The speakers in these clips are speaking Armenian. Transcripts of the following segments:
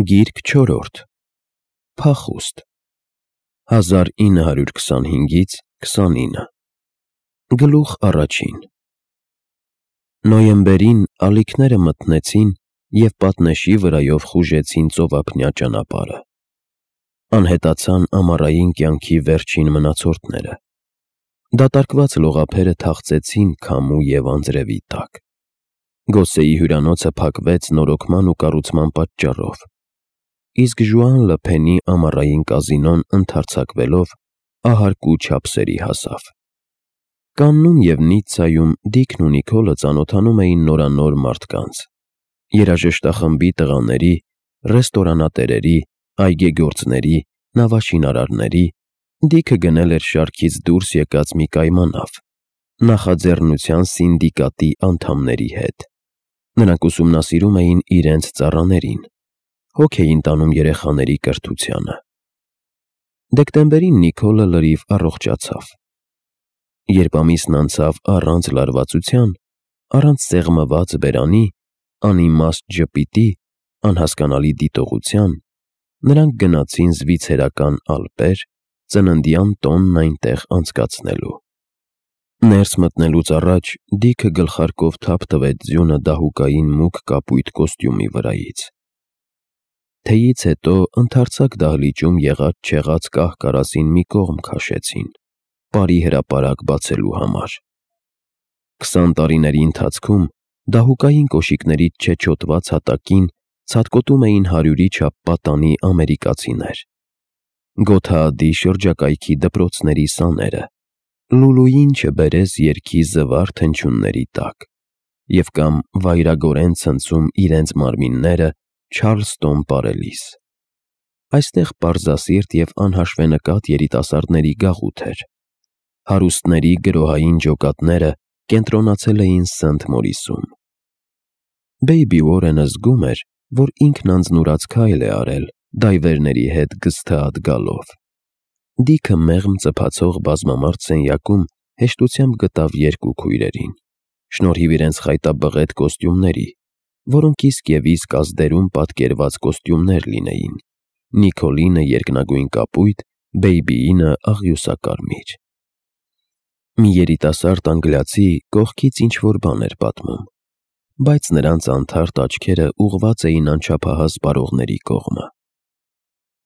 Գիրք 4. Փախուստ 1925-ից 29 Գլուխ առաջին Նոյեմբերին ալիքները մթնեցին և պատնեշի վրայով խուժեցին ծովափնյա ճանապարհը։ Անհետացան ամառային կյանքի վերջին մնացորդները։ Դատարկված լողափերը թախծեցին քամու և անձրևի տակ։ Գոսեի հյուրանոցը փակվեց նորոգման ու կառուցման պատճառով, իսկ Ժուան Լփենի ամառային կազինոն ընդարձակվելով ահարկու չափսերի հասավ։ Կաննում և Նիցցայում Դիքն ու Նիկոլը ծանոթանում էին նորանոր մարդկանց՝ երաժշտախմբի տղաների, ռեստորանատերերի, այգեգործների, նավաշինարարների։ Դիքը գնել էր շարքից դուրս եկած մի կայմանավ՝ նախաձեռնության սինդիկատի անդամների հետ։ Նրանք ուսումնասիրում էին իրենց ծառաներին, հոգ էին տանում երեխաների կրթությանը։ Դեկտեմբերին Նիկոլը լրիվ առողջացավ։ Երբ ամիսն անցավ առանց լարվածության, առանց սեղմված բերանի, անիմաստ ժպիտի, անհասկանալի դիտողության, նրանք գնացին զվիցերական Ալպեր՝ ծննդյան տոնն այնտեղ անցկացնելու։ Ներս մտնելուց առաջ Դիքը գլխարկով թափ տվեց ձյունը դահուկային մուգ կապույտ կոստյումի վրայից։ Թեյից հետո ընդարձակ դահլիճում եղած-չեղած կահ֊կարասին մի կողմ քաշեցին՝ պարի հրապարակ բացելու համար։ 20 տարիների ընթացքում դահուկային կոշիկներից չեչոտված հատակին ցատկոտում էին 100-ի չափ պատանի ամերիկացիներ։ Գոթաադի շրջակայքի դպրոցների սաները, լուլուին չբերես երգի զվարթ հնչյունների տակ, և կամ վայրագորեն ցնցում իրենց մարմինները Չարլստոն պարելիս։ Այստեղ պարզասիրտ և անհաշվենկատ երիտասարդների գաղութ էր։ Հարուստների գրոհային ջոկատները կենտրոնացել էին Սենթ Մորիսում։ Բեյբի Ուորենը զգում էր, որ ինքն անձնուրաց քայլ է արել դայվերների հետ գզթաատ գալով։ Դիքը մեղմ ծփացող բազմամարդ սենյակում հեշտությամբ գտավ երկու քույրերին՝ շնորհիվ իրենց խայտաբղետ կոստյումների, որոնք իսկ և իսկ ազդերում պատկերված կոստյումներ լինեին՝ Նիկոլինը երկնագույն կապույտ, Բեյբիինը աղյուսակարմիր։ Մի երիտասարդ անգլիացի կողքից ինչ-որ բան էր պատմում, բայց նրանց անթարթ աչքերը ուղղված էին անչափահաս բարողների կողմը։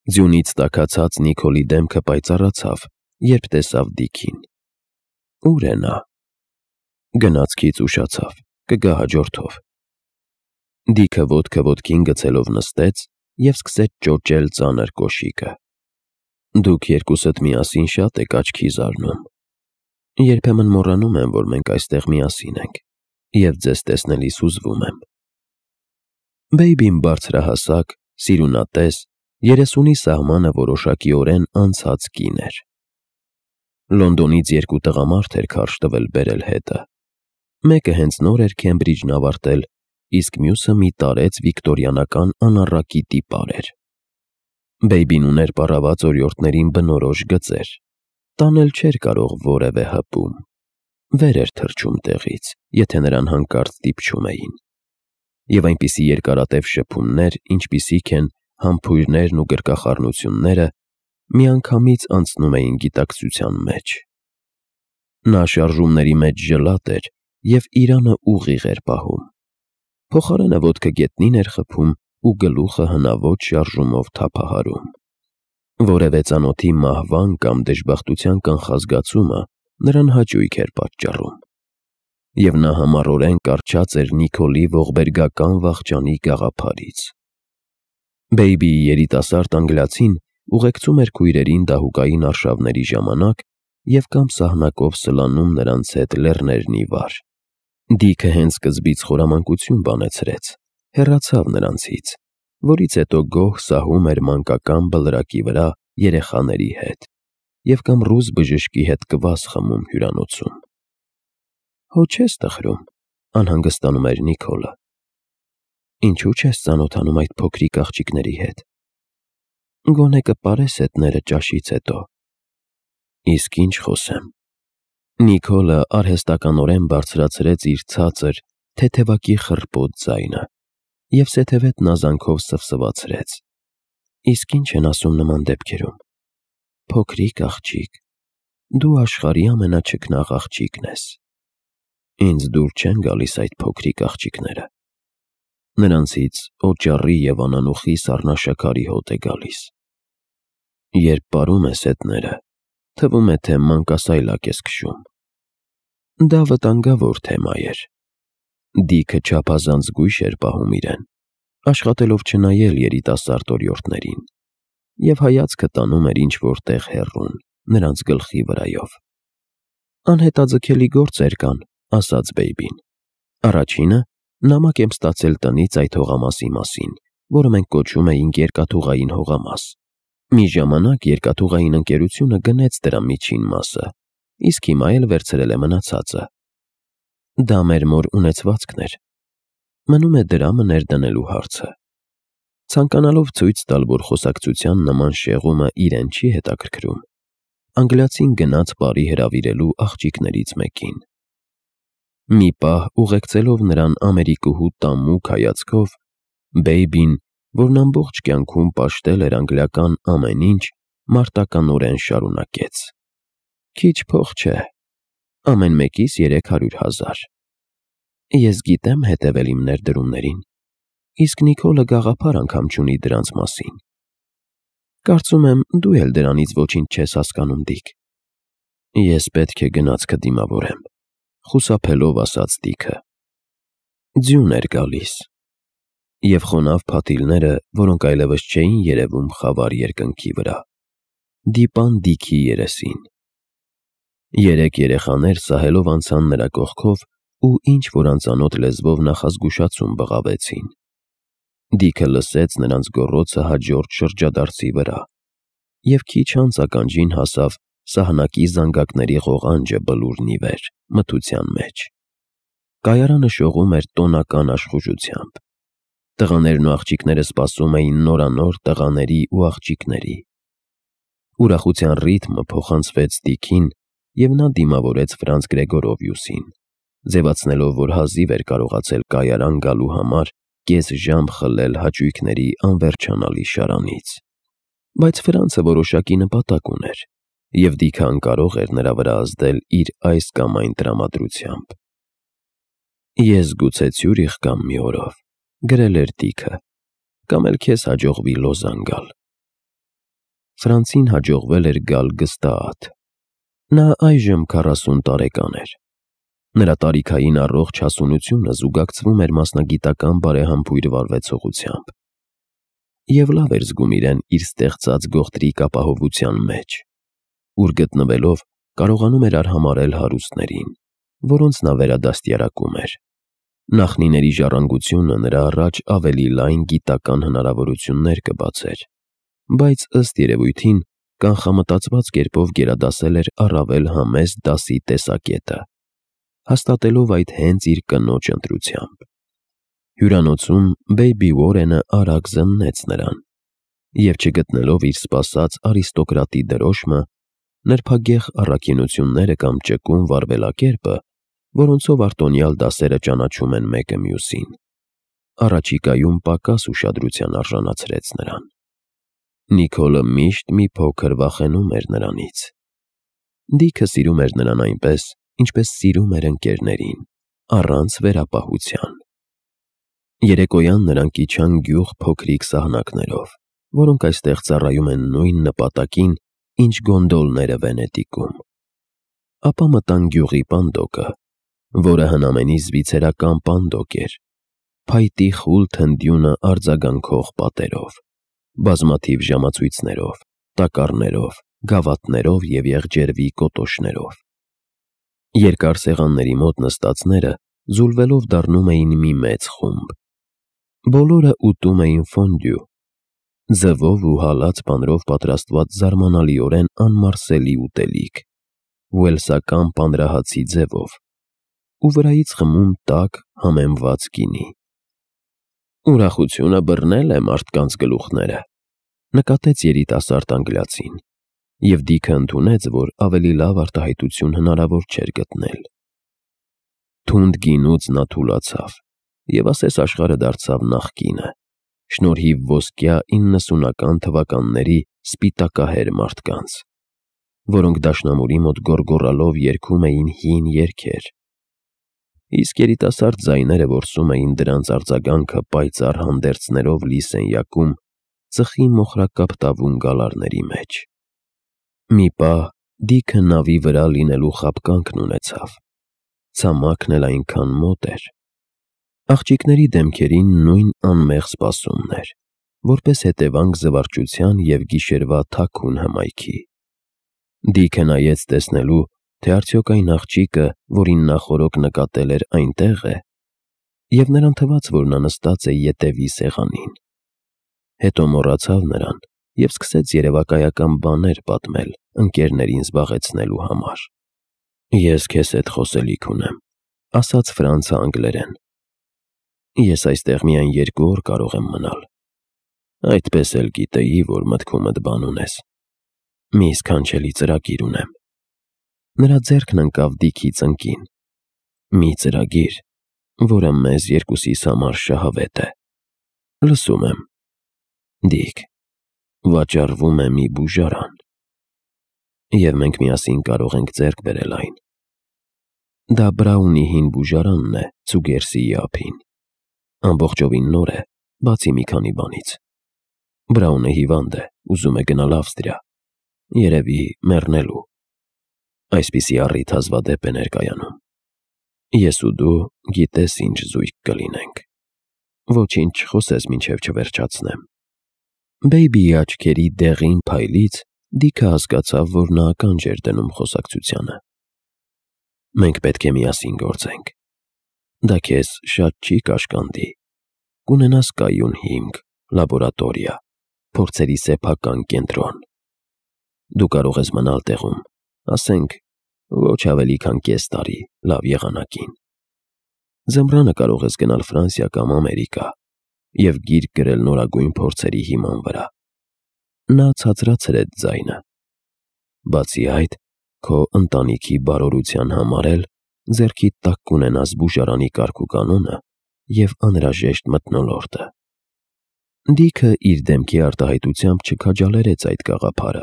Ձյունից տաքացած Նիկոլի դեմքը պայծառացավ, երբ տեսավ Դիքին։ Ո՞ւր է նա։ Գնացքից ուշացավ, կգա հաջորդով։ Դիքը ոտքը ոտքին գցելով նստեց և սկսեց ճոճել ծանր կոշիկը։ Դուք երկուսդ միասին շատ եք աչքի զարնում։ Երբեմն մոռանում եմ, որ մենք այստեղ միասին ենք, և ձեզ տեսնելիս հուզվում եմ։ Բեյբին բարձրահասակ, սիրունատես, 30-ի սահմանը որոշակիորեն անցած կին էր։ Լոնդոնից երկու տղամարդ էր քարշ տվել բերել հետը։ Մեկը հենց նոր էր Քեմբրիջն ավարտել, իսկ մյուսը մի տարեց վիկտորյանական անառակի տիպար էր։ Բեյբին ուներ պառաված օրիորդներին բնորոշ գծեր, տանել չէր կարող որևէ հպում։ Վեր էր թռչում տեղից, եթե նրան հանկարծ դիպչում էին։ Եվ այնպիսի երկարատև շփումներ, ինչպիսիք են համբույրներն ու գրկախառնությունները, միանգամից անցնում էին գիտակցության մեջ։ Նա շարժումների մեջ ժլատ էր և իրանը ուղիղ էր պահում։ Փոխարենը ոտքը գետնին էր խփում ու գլուխը հնաոճ շարժումով թափահարում։ Որևէ ծանոթի մահվան կամ դժբախտության կանխազգացումը նրան հաճույք էր պատճառում։ Եվ նա համառորեն կառչած էր Նիկոլի ողբերգական վախճանի գաղափարից։ Բեյբիի երիտասարդ անգլիացին ուղեկցում էր քույրերին դահուկային արշավների ժամանակ և կամ սահնակով սլանում նրանց հետ լեռներն ի վար։ Դիքը հենց սկզբից խորամանկություն բանեցրեց, հեռացավ նրանցից, որից հետո գոհ սահում էր մանկական բլրակի վրա երեխաների հետ և կամ ռուս բժշկի հետ կվաս խմում հյուրանոցում։ Հո չես տխրում, անհանգստանում էր Նիկոլը։ Ինչու՞ չես ծանոթանում այդ փոքրիկ աղջիկների հետ։ Գոնե կպարես հետները ճաշից հետո։ Իսկ ինչ խոսեմ։ Նիկոլը արհեստականորեն բարձրացրեց իր ցածր, թեթևակի խռպոտ ձայնը։ և սեթևետ նազանքով սվսվացրեց. Իսկ ինչ են ասում նման դեպքերում. փոքրիկ աղջիկ, դու աշխարհի ամենաչքնաղ աղջիկն ես։ Ինձ դուր չեն գալիս այդ փոքրիկ աղջիկները։ Նրանցից օճառի և անանուխի սառնաշաքարի հոտ է գալիս։ Երբ պարում ես հետները, թվում է, թե մանկասայլակ ես քշում։ Դա վտանգավոր թեմա էր։ Դիքը չափազանց զգույշ էր պահում իրեն, աշխատելով չնայել երիտասարդ օրիորդներին, և հայացքը տանում էր ինչ-որ տեղ հեռուն, նրանց գլխի վրայով։ Անհետաձգելի գործեր կան, ասաց Բեյբին։ Առաջինը, նամակ եմ ստացել տնից այդ հողամասի մասին, որը մենք կոչում էինք երկաթուղային հողամաս։ Մի ժամանակ երկաթուղային ընկերությունը գնեց դրա միջին մասը, իսկ հիմա էլ վերցրել է մնացածը։ Դա մեր մոր ունեցվածքն էր։ Մնում է դրամը ներդնելու հարցը։ Ցանկանալով ցույց տալ, որ խոսակցության նման շեղումը իրեն չի հետաքրքրում, անգլիացին գնաց բարի հրավիրելու աղջիկներից մեկին։ Մի պահ ուղեկցելով նրան ամերիկուհու տամուկ հայացքով, Բեյբին, որն ամբողջ կյանքում պաշտել էր անգլիական ամեն ինչ, մարտականորեն շարունակեց. Քիչ փող չէ, ամեն մեկիս 300,000։ Ես գիտեմ հետևել իմ ներդրումներին, իսկ Նիկոլը գաղափար անգամ չունի դրանց մասին։ Կարծում եմ, դու էլ դրանից ոչինչ չես հասկանում, Դիք։ Ես պետք է գնացքը դիմավորեմ, խուսափելով ասաց Դիքը։ Ձյուն էր գալիս, և խոնավ փաթիլները, որոնք այլևս չէին երևում խավար երկնքի վրա, դիպան Դիքի երեսին։ 3 երեխաներ սահելով անցան նրա կողքով ու ինչ-որ անծանոթ լեզվով նախազգուշացում բղավեցին։ Դիքը լսեց նրանց գոռոցը հաջորդ շրջադարձի վրա, և քիչ անց ականջին հասավ սահնակի զանգակների ղողանջը բլուրն ի վեր, մթության մեջ։ Կայարանը շողում էր տոնական աշխուժությամբ։ Տղաներն ու աղջիկները սպասում էին նորանոր տղաների ու աղջիկների։ Ուրախության ռիթմը փոխանցվեց Դիքին, և նա դիմավորեց Ֆրանց Գրեգորովիուսին, ձևացնելով, որ հազիվ էր կարողացել կայարան գալու համար կես ժամ խլել հաճույքների անվերջանալի շարանից։ Բայց Ֆրանցը որոշակի նպատակ ուներ, և Դիքը անկարող էր նրա վրա ազդել իր այս կամ այն տրամադրությամբ։ Ես գուցե Ցյուրիխ կամ մի օրով, գրել էր Դիքը, կամ էլ քեզ հաջողվի Լոզան գալ։ Ֆրանցին հաջողվել էր գալ գստաաթ։ Նա այժմ 40 տարեկան էր։ Նրա տարիքային առողջ հասունությունը զուգակցվում էր մասնագիտական բարեհամբույր վարվեցողությամբ։ Եվ լավ էր զգում իրեն իր ստեղծած գողտրիկ ապահովության մեջ, ուր գտնվելով կարողանում էր արհամարհել հարուստներին, որոնց նա վերադաստիարակում էր։ Նախնիների ժառանգությունը նրա առաջ ավելի լայն գիտական հնարավորություններ կբացեր, բայց ըստ երևույթին կանխամտածված կերպով գերադասել էր առավել համեստ դասի տեսակետը, հաստատելով այդ հենց իր կնոջ ընտրությամբ։ Հյուրանոցում Բեյբի Ուորենը արագ զննեց նրան, և չգտնելով իր սպասած արիստոկրատի դրոշմը, նրբագեղ առաքինությունները կամ ճկուն վարվելակերպը, որոնցով արտոնյալ դասերը ճանաչում են մեկը մյուսին, առաջիկայում պակաս ուշադրության արժանացրեց նրան։ Նիկոլը միշտ մի փոքր վախենում էր նրանից։ Դիքը սիրում էր նրան այնպես, ինչպես սիրում էր ընկերներին, առանց վերապահության։ Երեկոյան նրանք իջան գյուղ փոքրիկ սահնակներով, որոնք այստեղ ծառայում են նույն նպատակին, ինչ գոնդոլները Վենետիկում։ Ապա մտան գյուղի պանդոկը, որը հնամենի զվիցերական պանդոկ էր, փայտի խուլ թնդյունը արձագանքող պատերով, բազմաթիվ ժամացույցներով, տակառներով, գավաթներով և եղջերվի կոտոշներով։ Երկար սեղանների մոտ նստածները զուլվելով դառնում էին մի մեծ խումբ։ Բոլորը ուտում էին ֆոնդյու, ձվով ու հալած պանրով պատրաստված զարմանալիորեն անմարսելի ուտելիք, ուելսական պանրահացի ձևով, ու վրայից խմում տաք, համեմված գինի։ Ուրախությունը բռնել է մարդկանց գլուխները, նկատեց երիտասարդ անգլիացին, և Դիքը ընդունեց, որ ավելի լավ արտահայտություն հնարավոր չէր գտնել։ Թունդ գինուց նա թուլացավ, եւ ասես աշխարհը դարձավ նախկինը, շնորհիվ ոսկյա 90-ական թվականների սպիտակահեր մարդկանց, որոնք դաշնամուրի մոտ գոռգոռալով երգում էին հին երգեր, իսկ երիտասարդ ձայները որսում էին դրանց արձագանքը պայծառ հանդերձներով լի սենյակում ծխի մոխրակապ տավուն գալարների մեջ։ Մի պահ Դիքը նավի վրա լինելու խաբկանքն ունեցավ, ցամաքն էլ այնքան մոտ էր։ Աղջիկների դեմքերին նույն անմեղ սպասումն էր, որպես հետևանք զվարճության եւ գիշերվա թաքուն հմայքի։ Դիքը նայեց տեսնելու, թե արդյոք այն աղջիկը, որին նա խորոք նկատել էր, այնտեղ է, եւ նրան թվաց, որ նա նստած է ետևի սեղանին։ Հետո մոռացավ նրան եւ սկսեց երևակայական բաներ պատմել ընկերներին զբաղեցնելու համար։ «Ես քեզ հետ խոսելիք ունեմ», ասաց Ֆրանցը անգլերեն։ «Ես այստեղ միայն 2 օր կարող եմ մնալ։ Այդպես էլ գիտեի, որ մտքումդ բան ունես։ Մի սքանչելի ծրագիր ունեմ»։ Նրա ձեռքն ընկավ Դիքի ծնկին։ «Մի ծրագիր, որը մեզ երկուսիս համար շահավետ է»։ «Լսում եմ»։ «Դիք, վաճառվում է մի բուժարան, եւ մենք միասին կարող ենք ձեռք բերել այն։ Դա Բրաունի հին բուժարանն է Ցուգերսիի ափին։ Ամբողջովին նոր է, բացի մի քանի բանից։ Բրաունը հիվանդ է, ուզում է գնալ Ավստրիա, երևի մեռնելու։ Այսպիսի առիթ հազվադեպ է ներկայանում։ Ես ու դու գիտես ինչ զույգ կլինենք։ Ոչինչ չխոսես, մինչև չվերջացնեմ»։ Բեյբիի աչքերի դեղին փայլից Դիքը հասկացավ, որ նա ականջ էր դնում խոսակցությանը։ «Մենք պետք է միասին գործենք։ Դա քեզ շատ չի կաշկանդի։ Կունենաս կայուն հիմք, լաբորատորիա, փորձերի սեփական կենտրոն։ Դու կարող ես մնալ տեղում, ասենք, ոչ ավելի քան կես տարի, լավ եղանակին։ Ձմռանը կարող ես գնալ Ֆրանսիա կամ Ամերիկա եւ գիրք գրել նորագույն փորձերի հիման վրա»։ Նա ցածրացրեց ձայնը։ «Բացի այդ, քո ընտանիքի բարօրության համար էլ ձեռքիդ տակ կունենաս բուժարանի կարգուկանոնը եւ անհրաժեշտ մթնոլորտը»։ Դիքը իր դեմքի արտահայտությամբ չքաջալերեց այդ գաղափարը,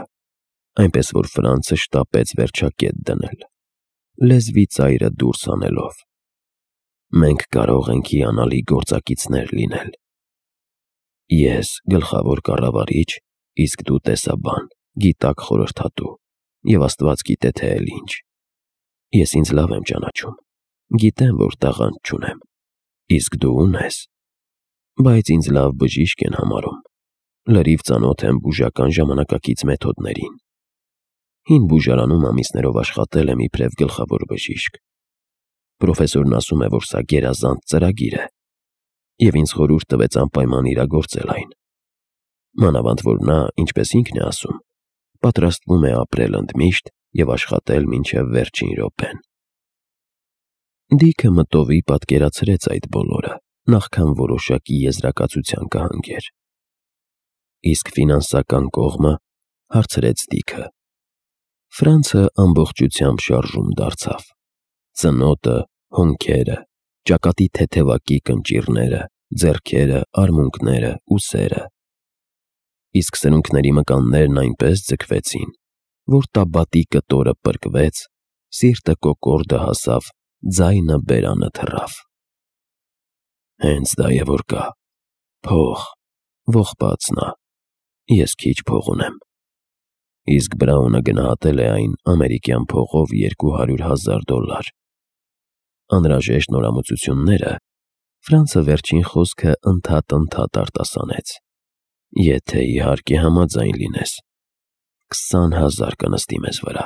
այնպես որ Ֆրանցը շտապեց վերջակետ դնել, լեզվի ծայրը դուրս հանելով։ «Մենք կարող ենք հիանալի գործակիցներ լինել։ Ես գլխավոր կառավարիչ, իսկ դու տեսաբան, գիտակ խորհրդատու, եւ Աստված գիտե թե էլ ինչ։ Ես ինձ լավ եմ ճանաչում, գիտեմ, որ տաղանդ չունեմ, իսկ դու ունես, բայց ինձ լավ բժիշկ են համարում, լրիվ ծանոթ եմ բուժական ժամանակակից մեթոդներին։ Հին բուժարանում ամիսներով աշխատել եմ իբրև գլխավոր բժիշկ։ Պրոֆեսորն ասում է, որ սա գերազանց ծրագիր է, եւ ինձ խորհուրդ տվեց անպայման իրագործել այն։ Մանավանդ որ նա, ինչպես ինքն է ասում, պատրաստվում է ապրել ընդմիշտ եւ աշխատել մինչև վերջին րոպեն։ Դիքը մտովի պատկերացրեց այդ բոլորը, նախքան որոշակի եզրակացության կհանգեր։ «Իսկ ֆինանսական կողմը», հարցրեց Դիքը։ Ֆրանցը ամբողջությամբ շարժում դարձավ։ Ծնոտը, հոնքերը, ճակատի թեթևակի կնճիռները, ձեռքերը, արմունկները, ուսերը։ Իսկ սրունքների մկաններն այնպես ձգվեցին, որ տաբատի կտորը պրկվեց, սիրտը կոկորդը հասավ, ձայնը բերանը թռավ։ «Հենց դա է որ կա, փող», ողբաց նա։ «Ես քիչ փող ունեմ»։ Իսկ Բրաունը գնահատել է այն ամերիկյան փողով $200,000։ Անհրաժեշտ նորամուծությունները, Ֆրանցը վերջին խոսքը ընդհատ արտասանեց։ Եթե իհարկե համաձայն լինես, 20,000 կնստի մեզ վրա։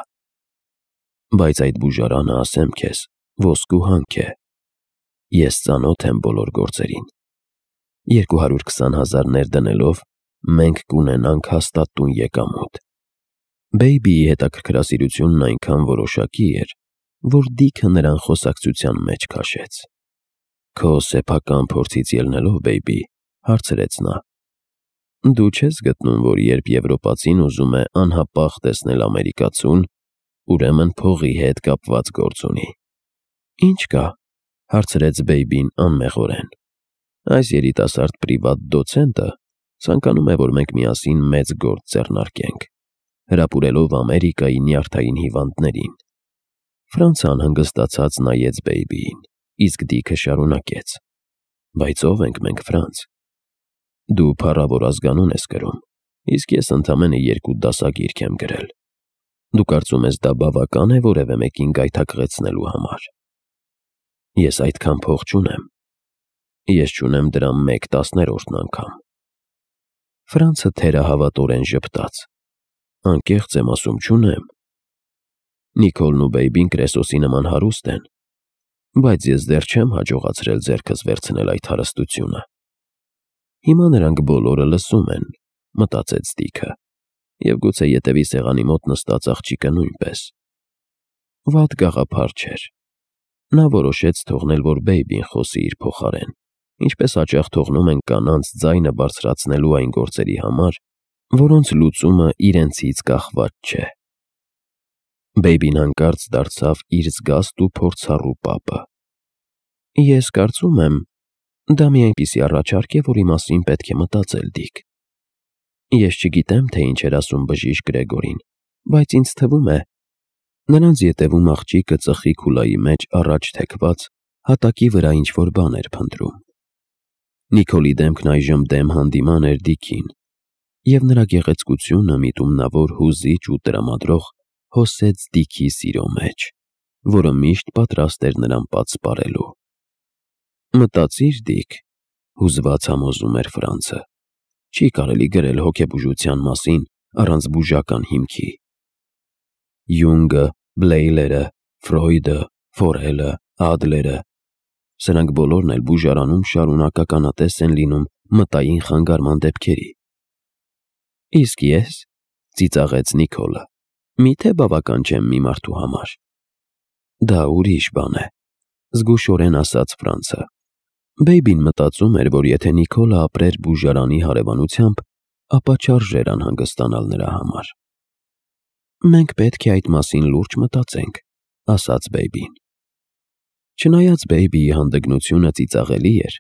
Բայց այդ բուժարանը, ասեմ քեզ, ոսկու հանք է։ Ես ծանոթ եմ բոլոր գործերին։ 220,000 ներդնելով մենք կունենանք հաստատ տուն եկամուտ։ Բեյբիի հետաքրքրասիրությունն այնքան որոշակի էր, որ Դիքը նրան խոսակցության մեջ քաշեց։ «Քո սեփական փորձից ելնելով, Բեյբի», հարցրեց նա, «դու չես գտնում, որ երբ եվրոպացին ուզում է անհապաղ տեսնել ամերիկացուն, ուրեմն փողի հետ կապված գործ ունի»։ «Ինչ կա», հարցրեց Բեյբին անմեղորեն։ Այս երիտասարդ պրիվատ դոցենտը ցանկանում է, որ մենք միասին մեծ գործ ձեռնարկենք, հրապուրելով Ամերիկայի նյարդային հիվանդներին։ Ֆրանցան հանգստացած նայեց Բեյբիին, իսկ Դիքը շարունակեց. Բայց ով ենք մենք, Ֆրանց։ Դու փառավոր ազգանուն ես կրում, իսկ ես ընդամենը 2 դասագիրք եմ գրել։ Դու կարծում ես դա բավական է որևէ մեկին գայթակղեցնելու համար։ Ես այդքան փող չունեմ։ Ես չունեմ դրա 1/10 անգամ։ Ֆրանցը թերահավատորեն ժպտաց։ Անկեղծ եմ ասում, չունեմ։ Նիկոլն ու Բեյբին կրեսոսի նման հարուստ են, բայց ես դեռ չեմ հաջողացրել ձեռքս վերցնել այդ հարստությունը։ Հիմա նրանք բոլորը լսում են, մտածեց Դիքը, և գուցե ետևի սեղանի մոտ նստած աղջիկը նույնպես։ Վատ գաղափար չէր։ Նա որոշեց թողնել, որ Բեյբին խոսի իր փոխարեն, ինչպես հաճախ թողնում են կանանց ձայնը բարձրացնելու այն գործերի համար, որոնց լուծումը իրենցից կախված չէ։ Բեյբին հանկարծ դարձավ իր զգաստ ու փորձառու պապը։ Ես կարծում եմ, դա մի այնպիսի առաջարկ է, որի մասին պետք է մտածել, Դիկ։ Ես չգիտեմ, թե ինչ էր ասում բժիշկ Գրեգորին, բայց ինձ թվում է, նրանց ետևում աղջիկը ծխի քուլայի մեջ առաջ թեքված հատակի վրա ինչ-որ բան էր փնտրում։ Նիկոլի դեմքն այժմ դեմ հանդիման էր Դիքին, և նրա գեղեցկությունը միտումնավոր հուզիչ ու տրամադրող հոսեց Դիքի սիրո մեջ, որը միշտ պատրաստ էր նրան պատսպարելու։ Մտածիր, Դիկ, հուզված համոզում էր Ֆրանցը, չի կարելի գրել հոգեբուժության մասին առանց բուժական հիմքի։ Յունգը, Բլեյլերը, Ֆրոյդը, Ֆորելը, Ադլերը, սրանք բոլորն էլ բուժարանում շարունակականատես են լինում մտային խանգարման դեպքերի։ Իսկ ես, ծիծաղեց Նիկոլը, միթե բավական չեմ մի մարդու համար։ Դա ուրիշ բան է, զգուշորեն ասաց Ֆրանցը։ Բեյբին մտածում էր, որ եթե Նիկոլը ապրեր բուժարանի հարևանությամբ, ապա չարժեր անհանգստանալ նրա համար։ Մենք պետք է այդ մասին լուրջ մտածենք, ասաց Բեյբին։ Չնայած Բեյբիի հանդգնությունը ծիծաղելի էր,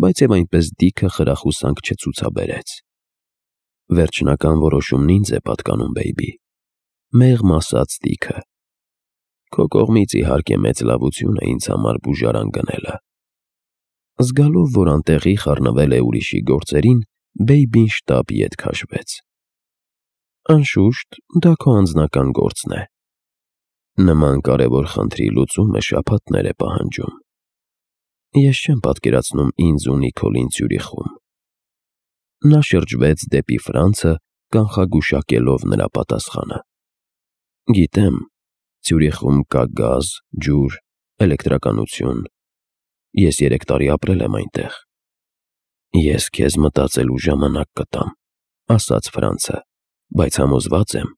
բայց և այնպես Դիքը խրախուսանք չցուցաբերեց։ Վերջնական որոշումն ինձ է պատկանում, Բեյբի, մեղմ ասաց Դիքը։ Քո կողմից իհարկե մեծ լավություն է ինձ համար բուժարան գնելը։ Զգալով, որ անտեղի խառնվել է ուրիշի գործերին, Բեյբին շտապ ետ քաշվեց։ Անշուշտ, դա քո անձնական գործն է։ Նման կարևոր խնդրի լուծումը շաբաթներ է պահանջում։ Ես չեմ պատկերացնում ինձ ու Նիկոլին Ցյուրիխում։ Նա շրջվեց դեպի Ֆրանցը, կանխագուշակելով նրա պատասխանը։ Գիտեմ, Ցյուրիխում կա գազ, ջուր, էլեկտրականություն։ Ես 3 տարի ապրել եմ այնտեղ։ Ես քեզ մտածելու ժամանակ կտամ, ասաց Ֆրանցը, բայց համոզված եմ,